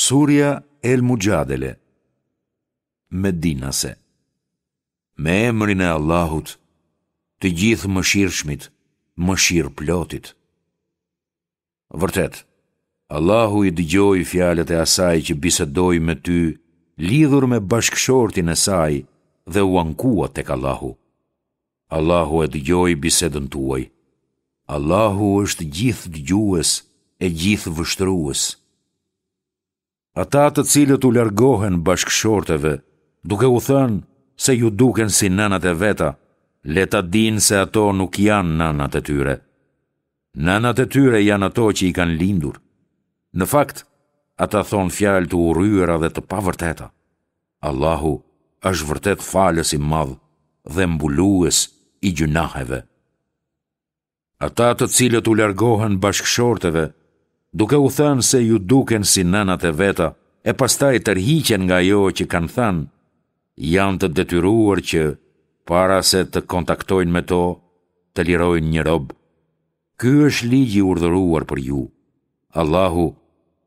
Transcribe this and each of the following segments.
Surja El Muxhadele Medinase Me emrin e Allahut, të Gjithëmëshirshmit, Mëshirëplotit. Vërtet, Allahu i dëgjoi fjalët e asaj që bisedoi me ty lidhur me bashkëshortin e saj dhe u ankua tek Allahu. Allahu e dëgjoi bisedën tuaj. Allahu është gjithëdëgjues e gjithëvështrues. Ata të cilët u largohen bashkëshorteve, duke u thënë se ju duken si nënat e veta, le ta dinë se ato nuk janë nënat e tyre. Nënat e tyre janë ato që i kanë lindur. Në fakt, ata thonë fjalë të urryera dhe të pavërteta. Allahu është vërtet falës i madh dhe mbulues i gjynaheve. Ata të cilët u largohen bashkëshorteve, duke u thënë se ju duken si nënat e veta e pastaj tërhiqen nga ajo që kanë thënë, janë të detyruar që, para se të kontaktojnë me to, të lirojnë një rob. Ky është ligji i urdhëruar për ju. Allahu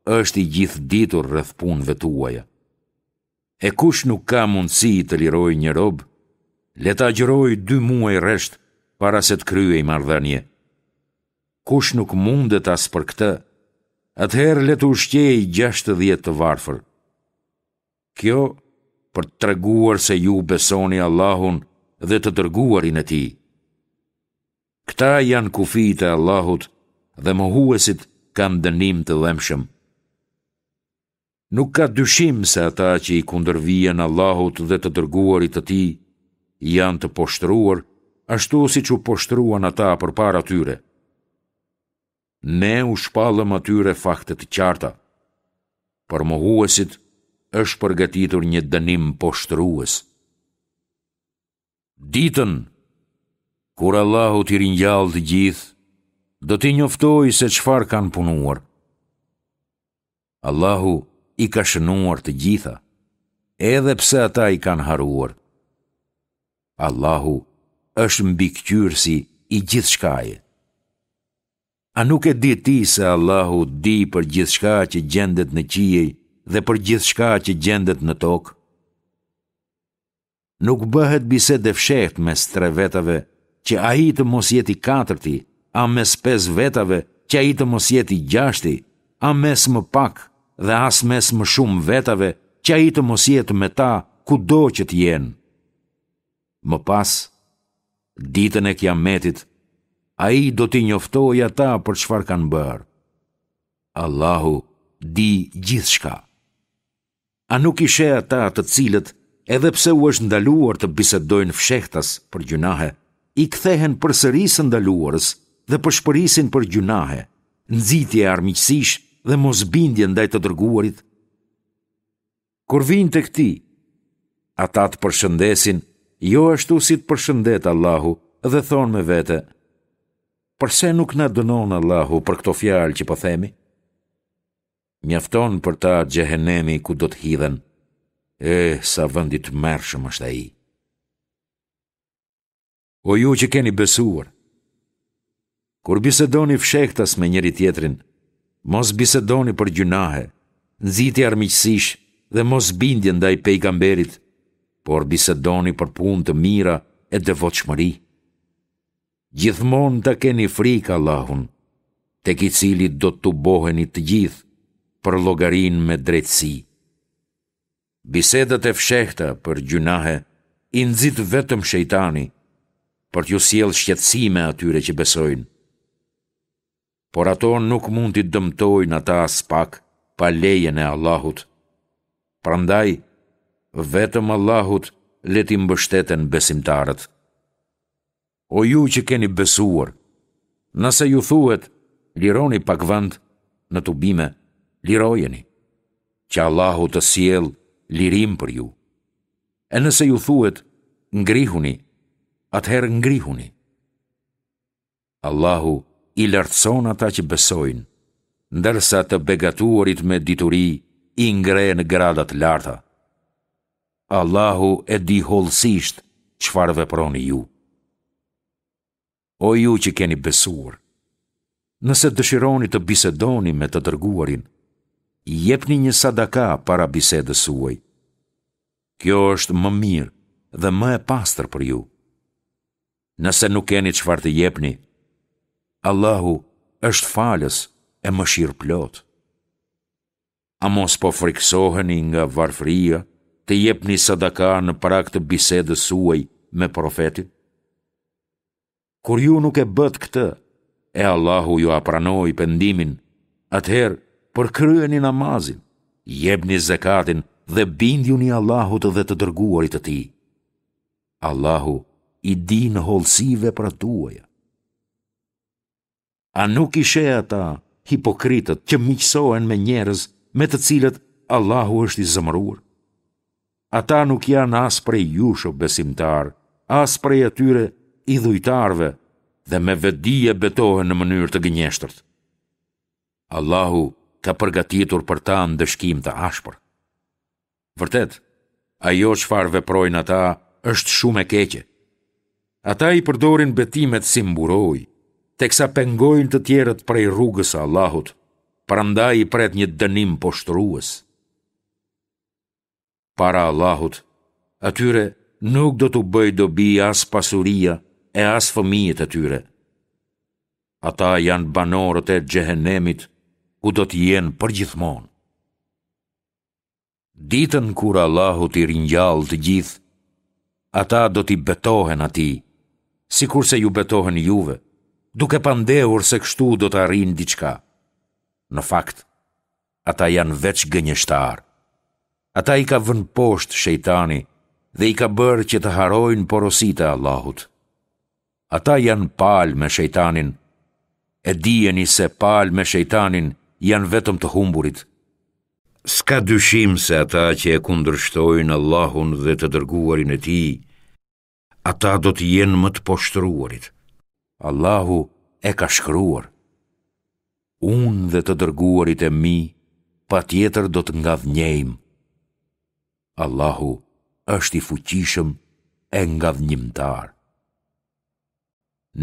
është i gjithëditur rreth punëve tuaja. E kush nuk ka mundësi të lirojë një rob, le të agjërojë dy muaj rresht para se të kryejë marrëdhënie. Kush nuk mundet as për këtë, atëherë le të ushqejë 60 të varfër. Kjo për të treguar se ju besoni Allahun dhe të dërguarin e tij. Këta janë kufijtë e Allahut dhe mohuesit kanë dënim të dhembshëm. Nuk ka dyshim se ata që i kundërvihen Allahut dhe të dërguarit të tij janë të poshtëruar, ashtu siç u poshtëruan ata përpara tyre. Ne u shpallëm atyre fakte të qarta. Për mohuesit është përgatitur një dënim poshtërues. Ditën kur Allahu t'i ringjallë të gjithë, do t'i njoftojë se çfarë kanë punuar. Allahu i ka shënuar të gjitha, edhe pse ata i kanë harruar. Allahu është mbikëqyrësi i gjithçkaje. A nuk e di ti se Allahu di për gjithçka që gjendet në qiej dhe për gjithçka që gjendet në tokë? Nuk bëhet bisedë e fshehtë mes tre vetave që ai të mos jetë i katërti, a mes pesë vetave që ai të mos jetë i gjashti, a mes më pak dhe as mes më shumë vetave që ai të mos jetë me ta kudo që të jenë. Më pas, ditën e Kiametit, ai do t'i njoftojë ata për çfarë kanë bërë. Allahu di gjithçka. A nuk i sheh ata të cilët, edhe pse u është ndaluar të bisedojnë fshehtas për gjynahe, i kthehen përsëri së ndaluarës dhe pëshpërisin për gjynahe, nxitje armiqësish dhe mosbindje ndaj të dërguarit? Kur vijnë tek ti, ata të përshëndesin, jo ashtu si të përshëndet Allahu dhe thonë me vete, Përse nuk na dënon Allahu për këto fjalë që po themi? Mjafton për ta xhehenemi ku do të hidhen. Eh, sa vend i tmerrshëm është ai. O ju që keni besuar, kur bisedoni fshehtas me njëri-tjetrin, mos bisedoni për gjynahe, nxitje armiqësish dhe mosbindje ndaj pejgamberit, por bisedoni për punë të mira e devotshmëri. Gjithmonë ta keni frikë Allahun, tek i cili do të tuboheni të gjithë për llogarinë me drejtësi. Bisedat e fshehta për gjynahe i nxit vetëm shejtani, për t'ju sjellë shqetësime atyre që besojnë. Por ato nuk mund t'i dëmtojnë ata aspak pa lejen e Allahut. Prandaj, vetëm Allahut le t'i mbështeten besimtarët. O ju që keni besuar, nëse ju thuhet, lironi pak vend në tubime, lirojeni, që Allahu të sjellë lirim për ju. E nëse ju thuhet, ngrihuni, atëherë ngrihuni. Allahu i lartëson ata që besojnë, ndërsa të begatuarit me dituri i ngre në grada të larta. Allahu e di hollësisht çfarë veproni ju. O ju që keni besuar, nëse dëshironi të bisedoni me të dërguarin, Jepni një sadaka para bisedës suaj. Kjo është më mirë dhe më e pastër për ju. Nëse nuk keni çfarë të jepni, Allahu është falës e mëshirëplotë. A mos po frikësoheni nga varfëria të jepni sadaka në prag të bisedës suaj me profetin? Kur ju nuk e bëtë këtë, e Allahu jua pranoi pendimin, atëherë përkryeni namazin, jepni zekatin dhe bindjuni Allahut dhe të dërguarit të tij. Allahu i di në hollësi veprat tuaja. A nuk i sheh ata, hipokritët, që miqësohen me njerëz me të cilët Allahu është i zemëruar? Ata nuk janë as prej jush o besimtarë, as prej atyre idhujtarëve dhe me vetëdije betohen në mënyrë të gënjeshtërt. Allahu ka përgatitur për ta ndëshkim të ashpër. Vërtet, ajo çfarë veprojnë ata është shumë e keqe. Ata i përdorin betimet si mburojë, teksa pengojnë të tjerët prej rrugës së Allahut, prandaj i pret një dënim poshtërues. Para Allahut, atyre nuk do t'u bëjë dobi as pasuria e as fëmijët e tyre. Ata janë banorët e xhehenemit, ku do të jenë përgjithmonë. Ditën kur Allahu t'i ringjallë të gjithë, ata do t'i betohen atij, sikurse ju betohen juve, duke pandehur se kështu do të arrijnë diçka. Në fakt, ata janë veç gënjeshtarë. Ata i ka vënë poshtë shejtani dhe i ka bërë që të harrojnë porositë e Allahut. Ata janë palë me shejtanin, e dijeni se palë me shejtanin janë vetëm të humburit. S'ka dyshim se ata që e kundërshtojnë Allahun dhe të dërguarin e Tij, ata do të jenë më të poshtëruarit. Allahu e ka shkruar, Unë dhe të dërguarit e mi patjetër do të ngadhënjejmë. Allahu është i fuqishëm e ngadhënjimtar.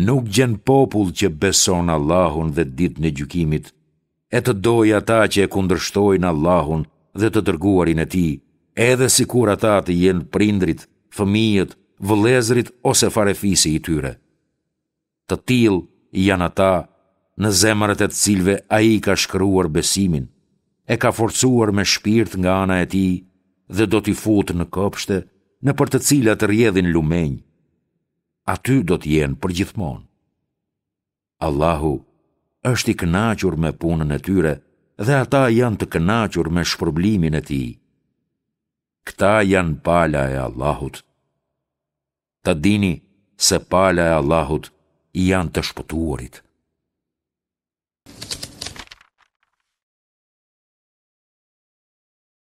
Nuk gjen popull që beson Allahun dhe Ditën e Gjykimit, e të dojë ata që e kundërshtojnë Allahun dhe të Dërguarin e Tij, edhe sikur ata të jenë prindërit, fëmijët, vëllezërit ose farefisi i tyre. Të tillë janë ata, në zemrat e të cilëve Ai ka shkruar besimin, e ka forcuar me shpirt nga ana e Tij dhe do t'i futë në kopshte, nëpër të cilat rrjedhin lumenj. Aty do të jenë përgjithmonë. Allahu është i kënaqur me punën e tyre dhe ata janë të kënaqur me shpërblimin e Tij. Këta janë pala e Allahut. Ta dini se pala e Allahut janë të shpëtuarit.